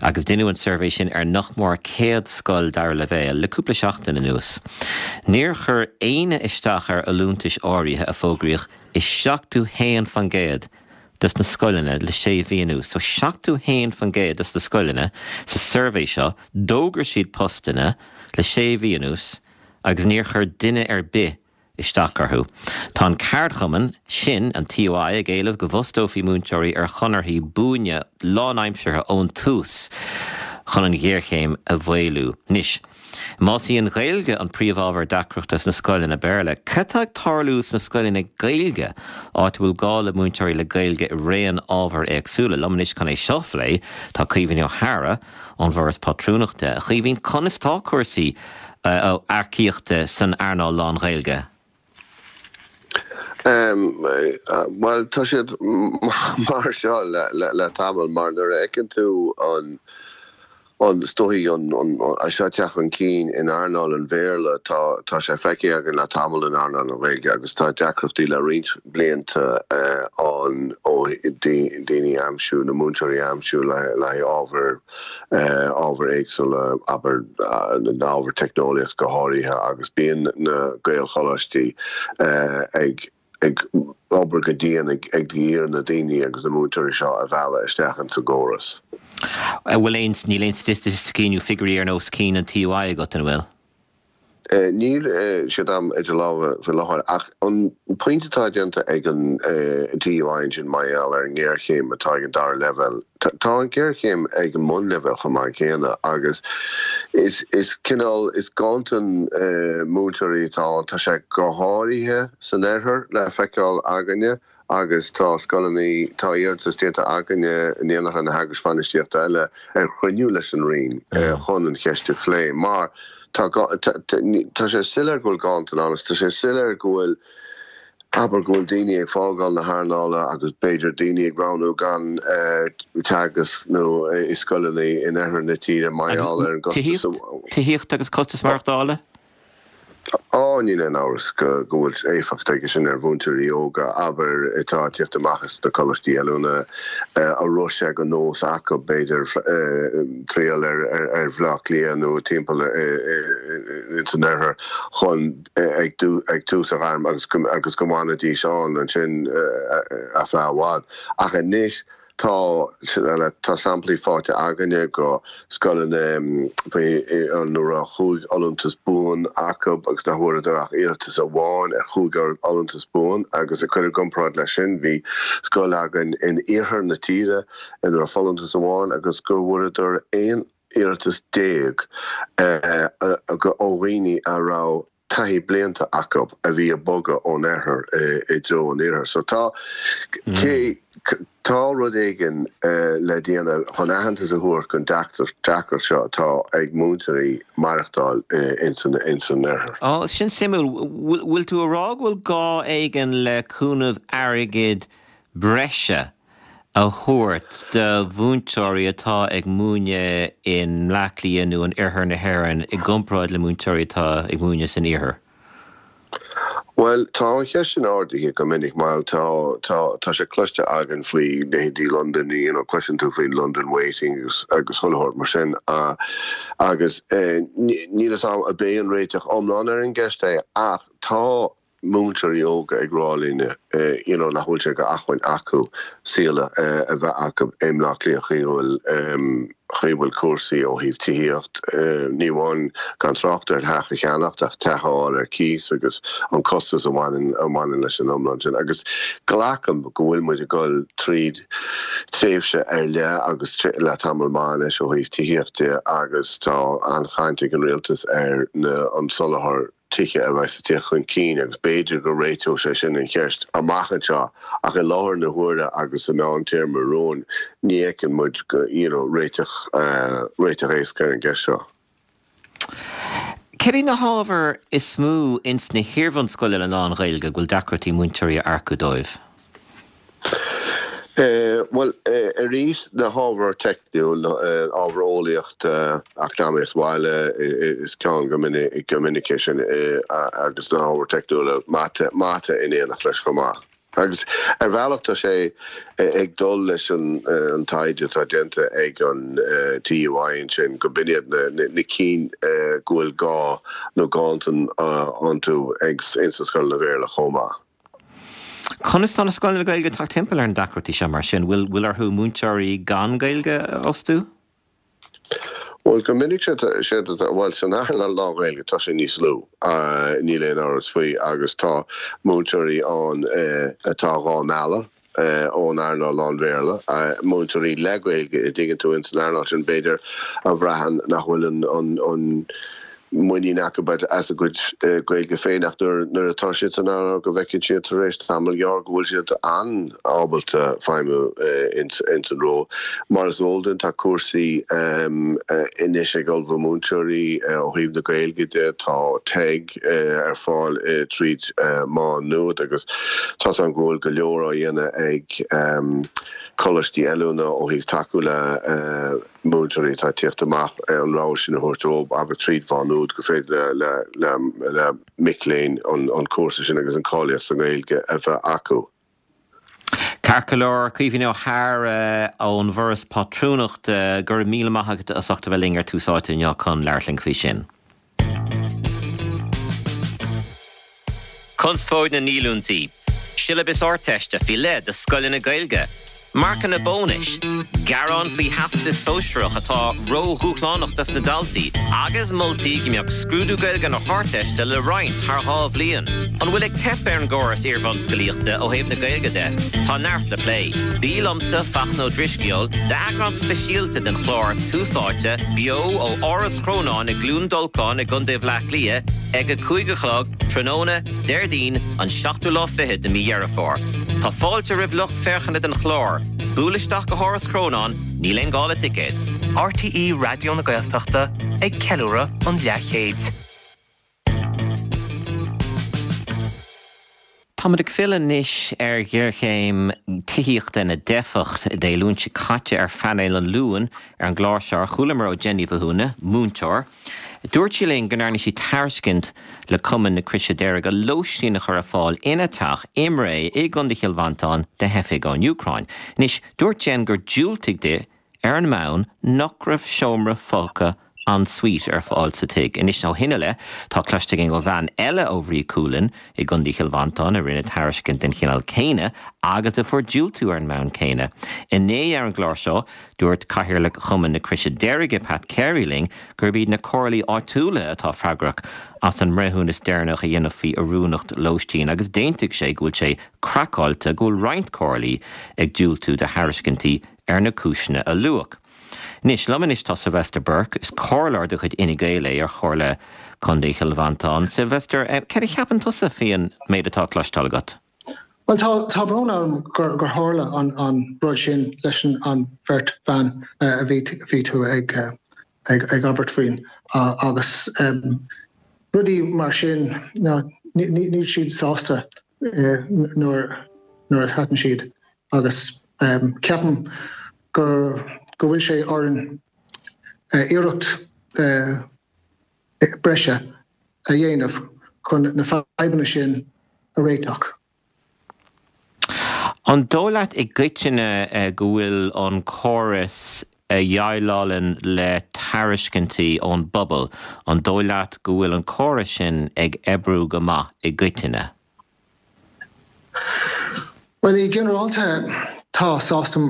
agus deineadh an suirbhé sin ar nach mór céad scoil dara leibhéal le cúpla seachtain anuas. Níor chuir éinne isteach ar fholúntais áirithe a fógraíodh i seachtó haon fan gcéad dos na scoileanna le sé mhí anuas. So seachtó haon fan gcéad dos na scoileanna sa suirbhé seo, d'fhógair siad postanna le sé mhí anuas agus níor chuir duine ar bith isteach orthu. Tá an ceardchumann sin, an TUI, ag éileamh go bhfostófaí múinteoirí ar chonarthaí buana lánaimseartha ón tús chun an ghéarchéim a mhaolú. Anois, más í an Ghaeilge an príomhábhar deacrachta sna scoileanna Béarla, cad tá ag tarlú sna scoileanna Gaeilge, áit a bhfuil gá le múinteoirí le Gaeilge i raon ábhar éagsúla? Liom anois chun é seo a phlé tá Caoimhín Ó hEadhra ón bhForas Pátrúnachta. A Chaoimhín, conas tá cúrsaí earcaíochta san earnáil lán-Ghaeilge? Bhuel, tá siad mar seo le tamall, mar nuair a fheiceann tú an an is dóichí an é seo ag teacht chun cinn in earnáil an Bhéarla, tá tá sé feicthe againn le tamall in earnáil na Gaeilge agus tá deacrachtaí le roinnt blianta ann ó daoine a aimsiú, na múinteoirí a aimsiú le haghaidh ábhair ábhair éagsúla, abair na ábhair teicneolaíocht go háirithe agus bíonn na Gaelcholáistí ag ag obair go dian ag ag iarraidh na daoine agus na múinteoirí seo a mhealladh isteach ins an gcóras. An bhfuil aon, níl aon staitisticí nó figiúirí ar nós cinn an TUI agat, an bhfuil? Níl siad agam idir lámha faoi láthair ach an pointe atá déanta ag an TUI ansin mar gheall ar an ngéarchéim atá ag an dara leibhéal, tá an ghéarchéim ag an mbunleibhéal chomh maith céanna agus is is cineál, is ganntan múinteoirí atá ann, tá sé go háirithe san oirthear le feiceáil againne. Agus tá scoileanna, tá iarratas déanta againne in éineacht le na heagrais bhainistíochta eile ar chruinniú leis an Roinn chun an cheist a phlé mar tá tá sé soiléir go bhfuil ganntan ann agus tá sé soiléir go bhfuil, abair, go bhfuil daoine ag fágáil na hearnála agus b'fhéidir daoine ag roghnú gan teagasc nó i scoileanna in oirthear na tíre mar gheall ar an gcostas a. Tithíocht agus costas maireachtála? Á, níl aon amhras go bhfuil éifeacht aige sin ar mhúinteoirí óga, abair, atá ag tíocht amach as na coláistí oiliúna, a raibh sé de nós acu, b'fhéidir, triall ar Bhaile Átha Cliath nó timpeall ins an oirthear chun ag tús a ghairm agus go bhfanfaidís ann ansin ar feadh i bhfad. Ach anois, Tá, tá samplaí faighte againne de scoileanna ina raibh chúig fholúntas buan acu agus nach bhfuaireadar ach iarratas amháin ar chúig fholúntas buan agus ag cur i gcomparáid leis sin bhí scoil againn in iarthar na tíre ina raibh folúntas amháin agus go bhfuaireadar aon iarratas déag ó dhaoine a raibh taithí blianta acu a bhí ag bogadh ón oirthear i dtreo an iarthair. So tá, cé, tá rud éigin le déanamh chun aitheantas a thabhairt don deacracht seo atá ag múinteoirí maireachtáil ins an oirthear. Ó, sin suimiúil. Bhfuil tú a rá go bhfuil gá éigin le cúnamh airgid breise a thabhairt do mhúinteoirí atá ag múineadh i mBleá Cliath nó in oirthear na hÉireann i gcomparáid le múinteoirí atá ag múineadh san iarthar? Bhuel, tá an cheist sin ardaithe go minic mar tá, tá, tá sé cloiste againn faoi leithéidí Londain, you know, cloiseann tú faoi London weighting agus, agus chuile shórt mar sin agus níl a fhios agam ab é an réiteach iomlán ar an gceist é ach tá múinteoirí óga ag rá linn you know nach bhfuil sé d'acmhainn acu saol a bheith acu i mBleá Cliath chaoi a bhfuil chaoi a bhfuil cúrsaí ó thaobh tithíocht ní amháin gan trácht ar theach a cheannacht ach teach a fháil ar cíos agus an costas a bhaineann a bhaineann leis an iomlán sin agus glacaim go bhfuil muid ag dul tríd tréimhse ar leith agus le tamall maith anois ó thaobh tithíocht de agus tá an-chaint ag an rialtas ar na an soláthar tithe a bheas ag teacht chun cinn agus b'fhéidir go réiteodh sé sin an cheist amach anseo ach i láthair na huaire agus sa mheántéarma romhainn ní fheiceann muid you know réiteach réiteach éasca ar an gceist seo. Céard iad na hábhair is mó ins na hiarbhunscoileanna lán-Ghaeilge go bhfuil deacrachtaí múinteoirí a earcú dóibh? Bhuel, arís, na hábhair teicniúil, ábhar eolaíochta, eacnamaíocht bhaile is ceann go minic é sin agus na hábhair teicniúla, mata, mata in éineacht leis chomh maith. Agus ar bhealach tá sé ag dul leis an taighde atá déanta ag an TUI ansin go b'in iad na cinn go bhfuil gá nó ganntan iontu ag ins na scoileanna Béarla chomh maith. Conas tá na scoileanna Gaeilge ag teacht timpeall ar na deacrachtaí seo mar sin? Bhfuil bhfuil orthu múinteoirí gan Gaeilge a fhostú? Bhuel, go minic sé bhuel, san earnáil lán-Ghaeilge tá sé níos lú, níl aon amhras faoi, agus tá múinteoirí ann atá dhá mealladh ón earnáil lán-Bhéarla, múinteoirí le Gaeilge, a dtuigeann tú, ins an earnáil sin, b'fhéidir, a bhraitheann nach bhfuil an muinín acu as a gcuid Gaeilge féin ach nuair atá siad san earnáil go bhfeiceann siad tar éis tamall gearr go bhfuil siad an-ábalta feidhmiú ins an ról. Mar is eol duinn tá cúrsaí anois ag ullmhú múinteoirí ó thaobh na Gaeilge de, tá TEG ar fáil tríd Má Nuad agus tá's agam go bhfuil go leor á dhéanamh ag coláistí oiliúna ó thaobh tacú le múinteoirí atá ag tíocht amach, an rogha sin a thabhairt dóibh, abair tríd Mhá Nuad, gur féidir le mic léinn an cúrsa sin agus an cáilíocht sa nGaeilge a bheith acu. Ceart go leor, Caoimhín Ó hEadhra ón bhForas Pátrúnachta, go raibh míle maith agat as ucht a bheith linn ar Tús Áite inniu chun labhairt linn faoi sin. Conspóid na ndíolúintí, Siollabas Ardteiste faoi leith do scoileanna Gaeilge, Marcanna bónais, gearán faoi Theastas Sóisearach atá ródhúshlánach dos na daltaí agus moltaí go mbeadh scrúdú Gaeilge na hArdteiste le roinnt thar dhá bhliain. An bhfuil ag teip ar an gcóras iarbhunscolaíochta ó thaobh na Gaeilge de? Tá neart le plé. Bí liomsa, Fachtna Ó Drisceoil, d'eagrán speisialta den chlár Tús Áite, beo ó Áras Chrónáin i gCluain Dolcáin i gContae Bhaile Átha Cliath ag a cúig a chlog tráthnóna Déardaoin an seachtú lá fichead de mí Dheireadh Fómhair. Tá fáilte roimh lucht féachana den chlár. Buail isteach go hÁras Chrónáin, níl aon gá le ticéad. RTÉ Raidió na Gaeltachta ag ceiliúradh an leathchéid. Táimid ag filleadh anois ar ghéarchéim tithíochta na dteifeach. Dé Luain seo caite ar phainéal an Luain ar an gclár seo, chualamar ó Jen Ní Mhathúna, múinteoir. Dúirt sí linn go ndearna sí tairiscint le Cumann na Croise Deirge lóistín a chur ar fáil ina teach i mBré i gContae Chill Mhantáin do theifigh ón Úcráin. Anois, dúirt Jen gur diúltaíodh di ar an mbonn nach raibh seomra folctha en suite ar fáil sa tigh. Anois ó shin i leith, tá cloiste againn ó bhean eile ó Bhrí Cualann i gContae Chill Mhantáin a rinne tairiscint den chineál céanna agus a fuair diúltú ar an mbonn céanna. Inné ar an gclár seo, dúirt Cathaoirleach Chumann na Croise Deirge, Pat Carey linn gurb iad na comhairlí áitiúla atá freagrach as an mbreithiúnas deireanach a dhéanamh faoi oiriúnacht lóistín agus d'aontaigh sé go bhfuil sé craiceáilte go bhfuil roinnt comhairlí ag diúltú do thairiscintí ar na cúiseanna a luadh. Anois, liom anois tá Sylvester Burke, is comhairleoir de chuid Fhine Gael é ar Chomhairle Contae Chill Mhantáin. Sylvester, céard a cheapann tusa faoin méid atá cloisteáil agat? Bhuel, tá, tá brón orm gur, gur tharla an, an rud sin leis an, an bheirt bhean a bhí, bhí tú ag, ag, ag abairt faoin agus rudaí mar sin, ná, ní, ní, níl siad sásta nuair, nuair a thaitin siad agus ceapaim gur go bhfuil sé orainn iarracht breise a dhéanamh chun na fadhbanna sin a réiteach. An dóigh leat i gcoitinne go bhfuil an córas a dhéileálann le tairiscintí ón bpobal, an dóigh leat go bhfuil an córas sin ag oibriú go maith i gcoitinne? Bhuel, i ginearálta tá sásta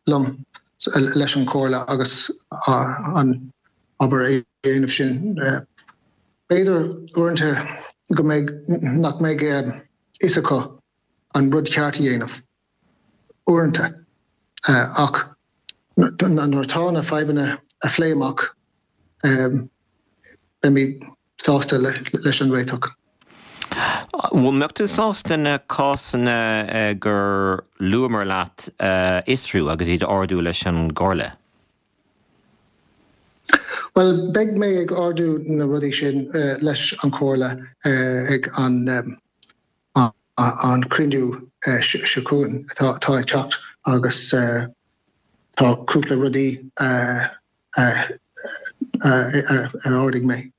liom leis an chomhairle agus an obair a dhéanamh sin. B'fhéidir uaireanta go mbeidh nach mbeidh fhios acu an rud ceart a dhéanamh uaireanta ach nuair atá na fadhbanna a phlé amach beimid sásta leis an réiteach. An mbeadh tú sásta na cásanna gur luamar leat a fhiosrú agus iad a ardú leis an gComhairle? Bhuel, beidh mé ag ardú na rudaí sin leis an Chomhairle ag an an cruinniú seo chugainn atá ag teacht agus tá cúpla rudaí ar ardaigh mé.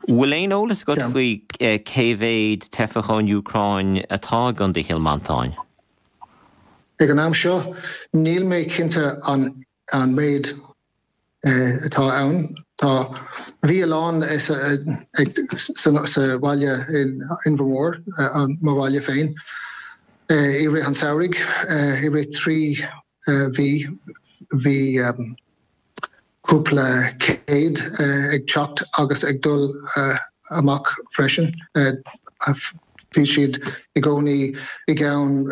Bhfuil aon eolas agat faoi cé mhéad teifeach ón Úcráin atá i gContae Chill Mhantáin? Ag an am seo, níl mé cinnte an an méid atá ann. Tá, bhí a lán sa bhaile in Inbhir Mór, mo bhaile féin, i rith an samhraidh, i rith trí mhí, bhí cúpla céad ag teacht agus ag dul amach freisin. Bhí siad i gcónaí i gceann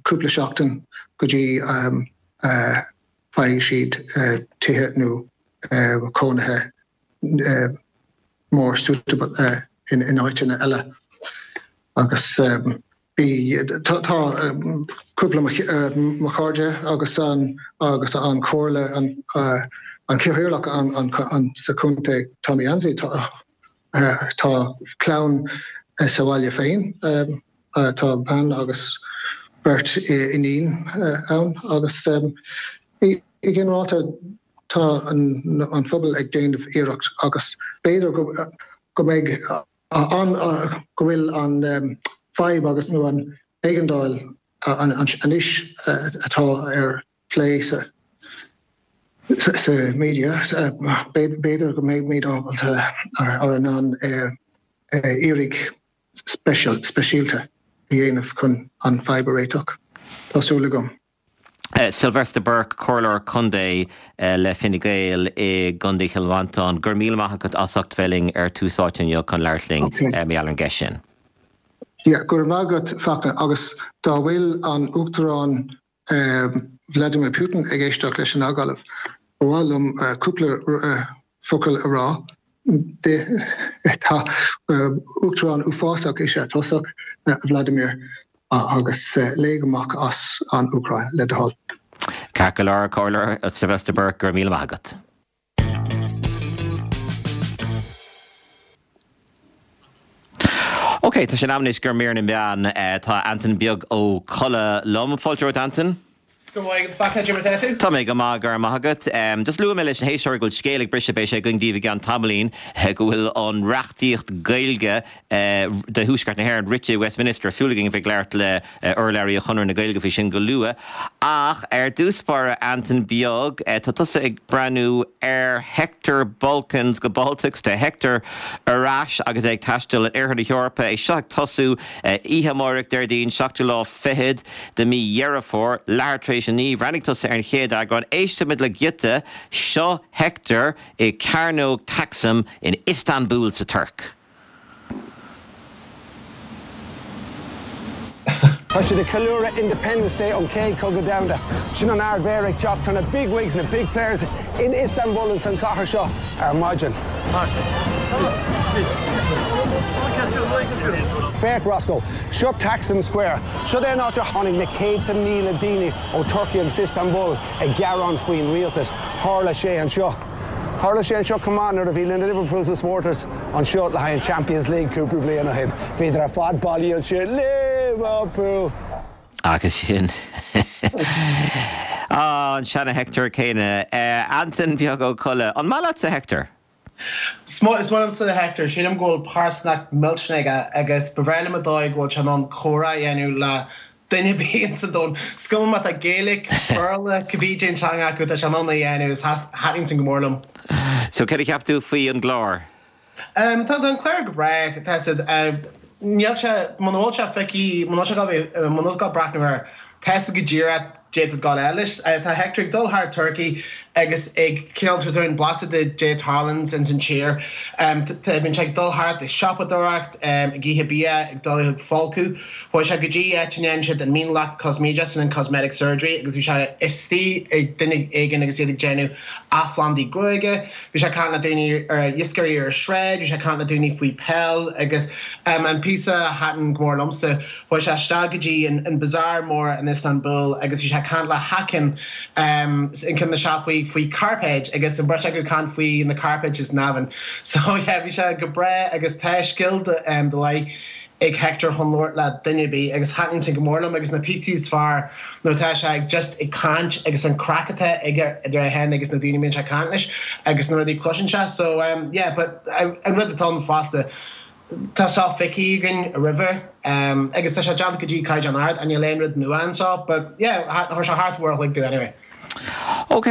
cúpla seachtain go dtí faigheann siad tithe nó cónaithe more suitable in áiteanna eile. Agus bhí, tá cúpla mo chairde agus an agus an comhairle an an cathaoirleach an sa chontae Tommy Annesley tá Tá clann sa bhaile féin, tá bean agus beirt iníon ann agus i ginearálta tá an phobal ag déanamh iarracht agus b'fhéidir go mbeidh an go bhfuil an fadhb agus nó an éigeandáil anois atá ar plé sa sa media, b'fhéidir go mbeimid ábalta ar in ann iarraidh speisialta a dhéanamh chun an fadhb a réiteach. Tá súil agam. Sylvester Burke, Comhairleoir Contae le Fine Gael i gContae Chill Mhantáin, go raibh míle maith agat as ucht bheith linn ar Tús Áite inniu chun labhairt linn mar gheall ar an gceist sin. Yeah, go raibh maith agat Fachtna, agus dá bhfuil an Uachtarán Vladimir Putin ag éisteacht leis an agallamh, ba mhaith liom cúpla focal a rá di. Tá uachtarán uafásach is ea tusa, a Vladimir, agus lig amach as an Úcráin, le do thoil. Ceart go leor, Comhairleoir Sylvester Burke, go raibh míle maith agat. Ok, tá sé in am anois do mhír na meán. Tá Antain Beag Ó Colla liom. Fáilte romhat, Antain. Go raibh maith agat, Fachtna, cad é mar atá tú? Tá mé go maith, go raibh maith agat. Just luaigh mé leis na héisteoirí go bhfuil scéal ag briseadh, beidh sé againn daoibh i gceann tamaillín, go bhfuil an reachtaíocht Gaeilge do Thuaisceart na hÉireann rite i Westminster. Súil againn a bheith ag labhairt le urlabhraí Chonradh na Gaeilge faoi sin go luath. Ach ar dtús báire, Antain Beag, tá tusa ag breathnú ar Hector Balkans go Baltics. Tá Hector ar ais agus é ag taisteal in oirthear na hEorpa. É seo ag tosú oíche amárach, Déardaoin, seachtú lá fichead de mí Dheireadh Fómhair, leathuair tar éis a naoi. Bhreathnaigh tusa ar an chéad eagrán. Éistfimid le giota. Seo Hector i Cearnóg Taksim in Istanbul sa Tuirc. Tá siad ag ceiliúradh Independence Day ón Chéad Chogadh Domhanda. Sin an Ard-Mhéara ag teacht. Tá na big wigs, na big players in Istanbul ins an chathair seo ar maidin. Féach Roscoe, seo Taksim Square. Seo é an áit ar tháinig na céadta míle daoine ó Turkey agus Istanbul ag gearán faoin rialtas. Tharla sé anseo. Tharla sé anseo chomh maith nuair a bhí na Liverpool supporters anseo le haghaidh an Champions League cúpla bliain ó shin. Bhíodar ar fad bailithe ansin, Liverpool! Agus sin an seana Hector céanna. Antain Beag Ó Colla, an maith leatsa Hector? Is maith liomsa Hector. Sílim go bhfuil pearsanacht millteanach aige agus ba bhreá liom an dóigh go bhfuil sé in ann comhrá a dhéanamh le duine ar bith sa domhan. Is cuma má tá Gaeilge, Béarla, cibé cén teanga acu, tá sé in ann é a dhéanamh agus thaitníonn sin go mór liom. So céard a cheap tú faoi an gclár? Tá an clár go breá, tá siad, níl sé, muna bhfuil sé feicthe, muna bhfuil sé ag dul, muna bhfuil ag dul breathnú air, tá a fhios agat go díreach caidé atá ag gabháil leis. Tá Hector ag dul thar Turkey agus ag cineál tabhairt dúinn blaiseadh de caidé a tharlaíonns ins an tír. Tá bíonn sé ag dul thart ag siopadóireacht, ag ithe bia, ag dul ag folcadh. Chuaigh sé go dtí áit a ndéanann siad an mionlacht cosméideach, sin an cosmetic surgery, agus bhí sé istigh ag duine éigin agus iad ag déanamh athphlandaí gruaige. Bhí sé ag caint le daoine ar iascairí ar an sráid, bhí sé ag caint le daoine faoi peil agus an píosa a thaitin go mór liomsa, chuaigh sé isteach go dtí an bazaar mór in Istanbul agus bhí sé ag caint le Hakan in ceann de na siopaí faoi cairpéid agus an bheirt acu ag caint faoi na cairpéid is Navan. So yeah, bhí sé go breá agus tá scil de leith ag Hector chun labhairt le duine ar bith agus thaitníonn sin go mór liom agus na píosaí is fearr nuair atá sé ag just ag caint agus an craic atá aige idir é féin agus na daoine a mbíonn sé ag caint leis agus na rudaí a chloiseann sé so um yeah but an rud atá ann fosta tá seo feicthe againn roimhe um agus tá sé déanta go dtí caighdeán ard and níl aon rud nua anseo but yeah chuir sé thart uair a chloig domh anyway. Ok,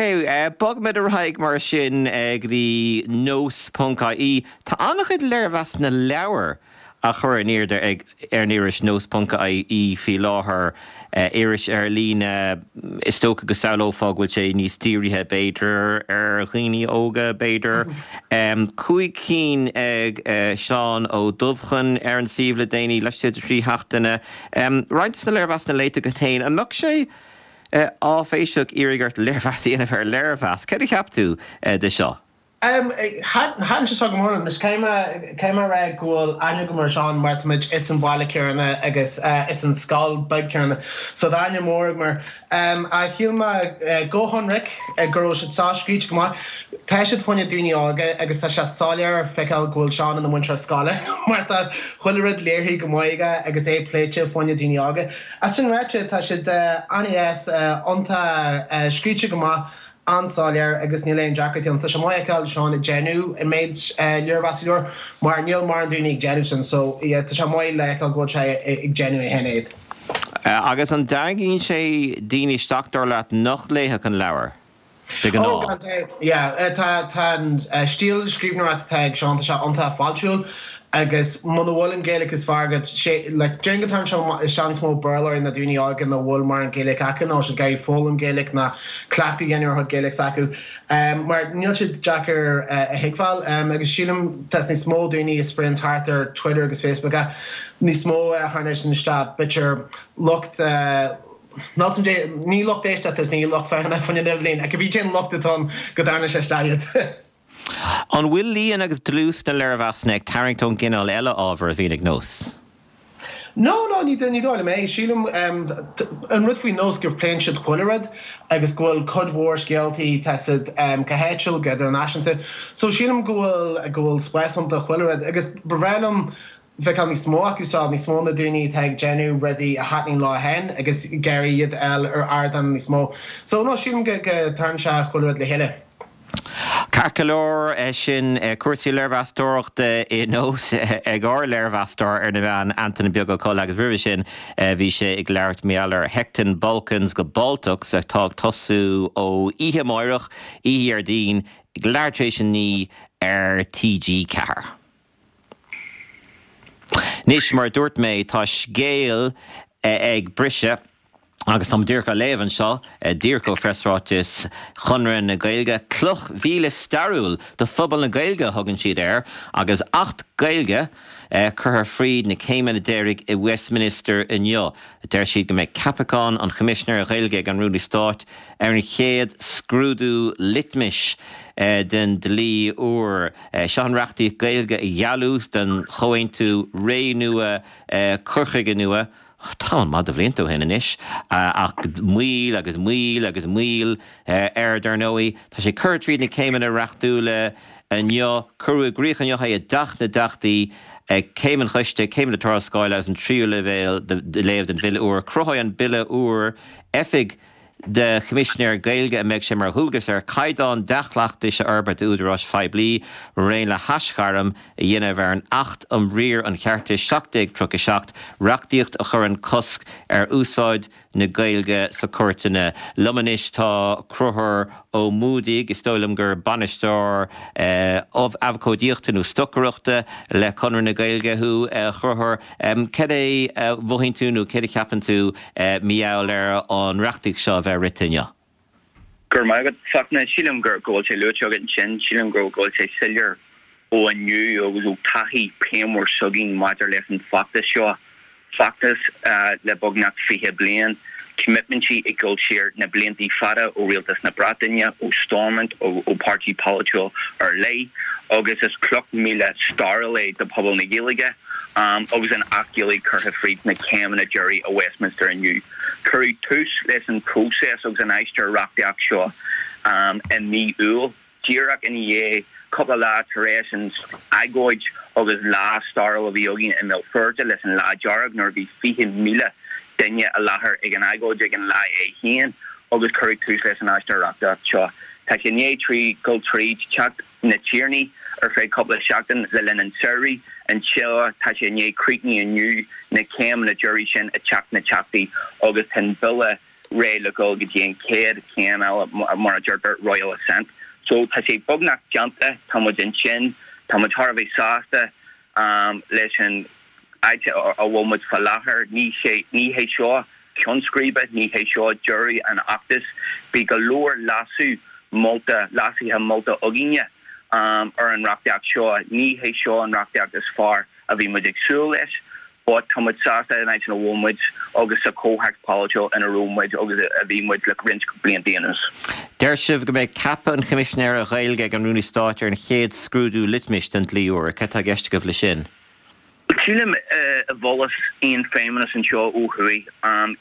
bogfaimid ar aghaidh mar sin go dtí nós ponc ie. Tá an-chuid léirmheasanna leabhar á chur in airde ag ar an iris nós ponc ie faoi láthair, iris ar líne, is dócha go samhlófá go bhfuil sé níos dírithe b'fhéidir ar dhaoine óga b'fhéidir. Cúig cinn ag Seán Ó Dubhchon ar an suíomh le déanaí, laistigh de thrí sheachtaine. Roinnt de na léirmheasanna léite agat féin, an mbeadh sé áiféiseach iarraidh ort léirmheas a dhéanamh ar léirmheas? Céard a cheap tú de seo? Thaitin sé seo go mór liom. Anois caithfidh mé a rá go bhfuil aithne agam ar Seán mar tá muid as an bhaile céanna agus as an scoil beag céanna so tá aithne mór agam air. Ach shíl mé go hionraic go raibh siad seo scríte go maith. Tá siad fá choinne daoine óga agus tá sé soiléir feiceáil go bhfuil Seán ina mhúinteoir scoile mar tá chuile rud léirithe go maith aige agus é pléite fá choinne daoine óga. Ach sin ráite tá siad an-dheas, iontach scríte go maith. an-soiléir agus níl aon deacrachtaí ann. Tá sé maith a fheiceáil Seán ag déanamh an méid léirmheas leabhar mar níl mórán daoine ag déanamh sin so yeah tá sé maith le feiceáil go bhfuil sé ag déanamh é féin iad. Agus an dtarraingíonn sé daoine isteach dar leat nach léifeadh an leabhar de Oh ghnáth? gan dabht yeah tá tá an stíl scríbhneoireachta atá ag Seán tá sé iontach fáiltiúil Agus muna bhfuil an Ghaeilge is fearr agat, sé, like, déarfainn go dtarraingíonn sé isteach níos mó Béarlóirí ná daoine óga nach bhfuil mórán Gaeilge acu nó siad ag iarraidh foghlaim Gaeilge ná cleachtadh a dhéanamh ar chuid Gaeilge s'acu. Mar níl siad deacair a thuigbheáil. Agus sílim tá níos mó daoine a spraoionns thart ar Twitter agus Facebook ach níos mó a tharraingíonn isteach b'fhéidir lucht níl 's a'm ní lucht éisteachta is ní lucht féachana fá choinne an idirlíon ach cibé cén lucht atá ann go dtarraingíonn sé isteach iad. An bhfuil líon agus dlús na léirmheasanna ag tarraingt ón gcineál eile ábhair a bhíonn ag Nós? No, no, ní ní dóigh liom é. Sílim an rud faoi Nós go pléann siad chuile rud agus go bhfuil cuid mhór scéaltaí tá siad go háitiúil, go idirnáisiúnta. So sílim go bhfuil go bhfuil spás ann do chuile rud agus ba bhreá liom feiceáil níos mó acu seo, níos mó na daoine atá ag déanamh rudaí a thaitníonn leo féin agus ag iarraidh iad a fháil ar ardán níos mó. So no, sílim go go dtarraingíonn sé chuile rud le chéile. Ceart go leor, sin cúrsaí léirmheastóireachta i Nós ag ár léirmheastóir ar na meáin, Antaine Beag Ó Colla agus roimhe sin bhí sé ag labhairt mar gheall ar Hecton Balkans go Baltocs atá ag tosú ó oíche amáireach, oíche Dhéardaoin, ag leathuair tar éis a naoi ar T G ceathair. Anois, mar a dúirt mé, tá scéal ag briseadh agus táim díreach á léamh anseo, díreach ó phreasráiteas Chonradh na Gaeilge, 'Cloch mhíle stairiúil do phobal na Gaeilge' a thugann siad air, agus Acht Gaeilge curtha fríd na céimeanna deiridh i Westminster inniu. Deir siad go mbeidh ceapachán an Choimisinéara Gaeilge ag an Rúnaí Stáit ar an chéad scrúdú litmis den dlí úr. Seo an reachtaíocht Gaeilge a gealladh den chomhaontú Ré Nua, Cur Chuige Nua, tamall maith de bhlianta ó shin anois, ach moill agus moill agus moill air dar ndóigh. Tá sé curtha tríd na céimeanna reachtúla inniu. Cuireadh i gcrích inniu é i dTeach na dTeachtaí ag Céim an Choiste, Céim na Tuarascála agus an tríú léamh den bhille úr. Cruthóidh an bille úr oifig do Choimisinéir Gaeilge a mbeidh sé mar dhualgas air caighdeáin dea-chleachtais a fhorbairt d'údaráis phoiblí, maraon le haisghairm a dhéanamh ar an Acht um Riar an Cheartais seacht déag tríocha a seacht, reachtaíocht a chuireann cosc ar úsáid na Gaeilge sa chúirteanna. Liom anois tá Conchúr Ó Muadaigh, is dóigh liom gur bainisteoir abhcóideachta nó stocaireachta le Conradh na Gaeilge thú, a Chonchúir. Cad é a mhothaíonn tú nó céard a cheapann tú mar gheall ar an reachtaíocht seo a bheith rite inniu? Go raibh maith agat, Fachtna. Sílim go bhfuil sé luaite agat ansin. Sílim go bhfuil sé soiléir ó inniu agus ó taithí pléan mór s'againn maidir leis an bhfeachtas seo, feachtas le beagnach fiche bliain, coimitmintí ag dul siar na blianta fada ó Rialtas na Breataine, ó Stormont, ó pháirtí polaitiúil ar leith, agus is cloch míle stairiúil é do phobal na Gaeilge agus an Acht Gaeilge curtha fríd na céimeanna deiridh i Westminster inniu. Cuireadh tús leis an bpróiseas agus an aistear reachtaíocht seo i mí Iúil. díreach ina dhiaidh Cúpla lá tar éis an agóid agus lá stairiúil a bhí againn i mBéal Feirste leis an Lá Dearg nuair a bhí fiche míle duine i láthair ag an agóid ag an lá é féin agus cuireadh tús leis an aistear reachtaíocht seo. Tá sé i ndiaidh trí dul tríd Teach na dTiarnaí ar feadh cúpla seachtain le linn an tsamhraidh anseo. Tá sé i ndiaidh críochnú inniu na céimeanna deiridh sin i Teach na dTeachtaí agus tá an Bille réidh le dul go dtí an chéad chéim eile mar a deirtear Royal Assent. So tá sé beagnach déanta, tá muid ansin, tá muid thar a bheith sásta leis an áit a bhfuil muid faoi láthair. Ní ní hé seo ceann scríbe, ní hé seo deireadh an fheachtais. Bhí go leor leasú molta, leasuithe molta againne ar an reachtaíocht seo. Ní hé seo an reachtaíocht is fearr a bhí muid ag súil leis, but tá muid sásta an áit ina bhfuil muid agus sa chomhthéacs polaitiúil ina raibh muid agus a bhí muid le roinnt blianta anuas. Deir sibh go mbeidh ceapadh an Choimisinéara Gaeilge ag an Rúnaí Stáit ar an chéad scrúdú litmis den dlí úr. Cad tá i gceist agaibh leis sin? Sílim i bhfollas aon feidhmeannas anseo ó thuaidh,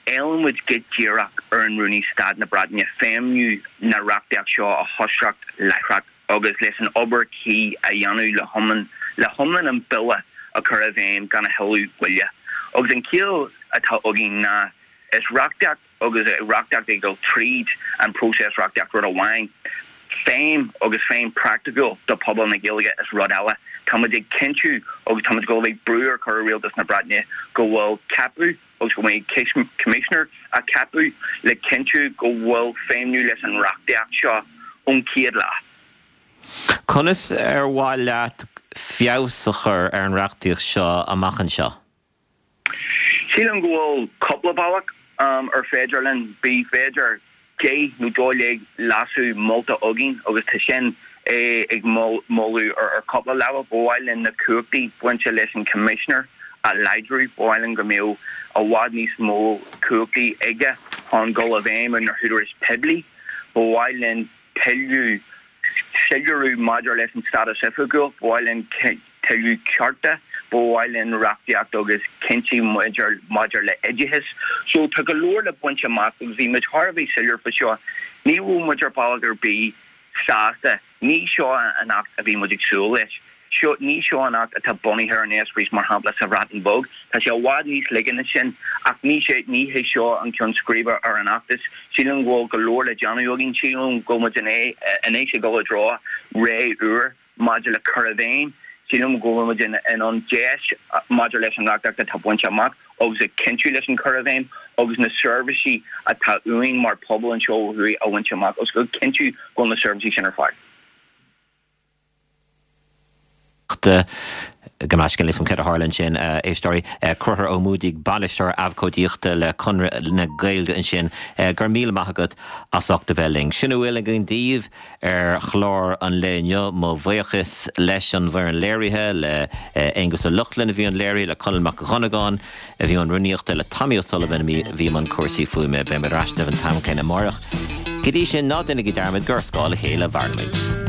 éilíonn muid go díreach ar an Rúnaí Stáit na Breataine feidhmiú na reachtaíocht seo a thoiseacht láithreach agus leis an obair cuí a dhéanamh le hiomlán le hiomlán an bille a chur i bhfeidhm gan a thuilleadh moille. Agus an chiall atá againn ná is reachtaíocht agus reachtaíocht ag dul tríd an próiseas reachtaíocht rud amháin, feidhm agus feidhm praiticiúil do phobal na Gaeilge is rud eile. Tá muid ag cinntiú agus tá muid ag dul a bheith brú ar chur ar Rialtas na Breataine go bhfuil ceapadh agus go mbeidh Coimisinéir á ceapadh le cinntiú go bhfuil feidhmiú leis an reachtaíocht seo ón chéad lá. Conas ar mhaith leat feabhas a chur ar an reachtaíocht seo amach anseo? Sílim go bhfuil cúpla bealach ar féidir linn. Bhí b'fhéidir deich nó dó dhéag leasú molta againn agus tá sin ag moladh ar cúpla leibhéal. Ba mhaith linn na cumhachtaí bainte leis an Coimisinéir a láidriú. Ba mhaith linn go mbeadh i bhfad níos mó cumhachtaí aige chun dul i bhfeidhm ar na húdaráis poiblí. Ba mhaith linn tuilleadh soiléiriú maidir leis an stádas oifigiúil, ba mhaith linn tuilleadh cearta, ba mhaith linn reachtaíocht agus cinntí maidir maidir le oideachas. So tá go leor le baint amach agus bhí muid thar a bheith soiléir faoi seo. Ní raibh muid ar bhealach ar bith sásta. Ní seo an Acht a bhí muid ag súil leis. Seo, ní seo an Acht atá bunaithe ar an eispéireas mar shampla sa Bhreatain Bheag. Tá sé i bhfad níos laige ná sin ach ní sé, ní hé seo an ceann scríbe ar an fheachtas. Sílim go bhfuil go leor le déanamh againn. Sílim go bhfuil muid anois ag dul i dtreo ré úr maidir le cur i bhfeidhm. Sílim go bhfuil muid in ann deis maidir leis an reachtaíocht atá bainte amach agus ag cinntiú leis an cur i bhfeidhm agus na seirbhísí atá uainn mar phobal anseo ó thuaidh a bhaint amach agus go cinntiú go bhfuil na seirbhísí sin ar fáil. Gabh mo leithscéal níl a fhios agam céard a tharla ansin, a éisteoirí. Conchúr Ó Muadaigh, Bainisteoir Abhcóideachta le Conradh na Gaeilge ansin. Go raibh míle maith agat as ucht a bheith linn. Sin a bhfuil againn daoibh ar chlár an lae inniu. Mo bhuíochas leis an bhfoireann léirithe, le Aonghus Ó Lochlainn a bhí i mbun léirithe, le Conall Mac Dhonnagáin a bhí i mbun rúnaíochta, le Tommy O'Sullivan a bhí i mbun cúrsaí fuaime. Beidh muid ar ais libh an t-am céanna amárach. Go dtí sin, ná déanaigí dearmad gur ar scáth a chéile a mhaireann muid.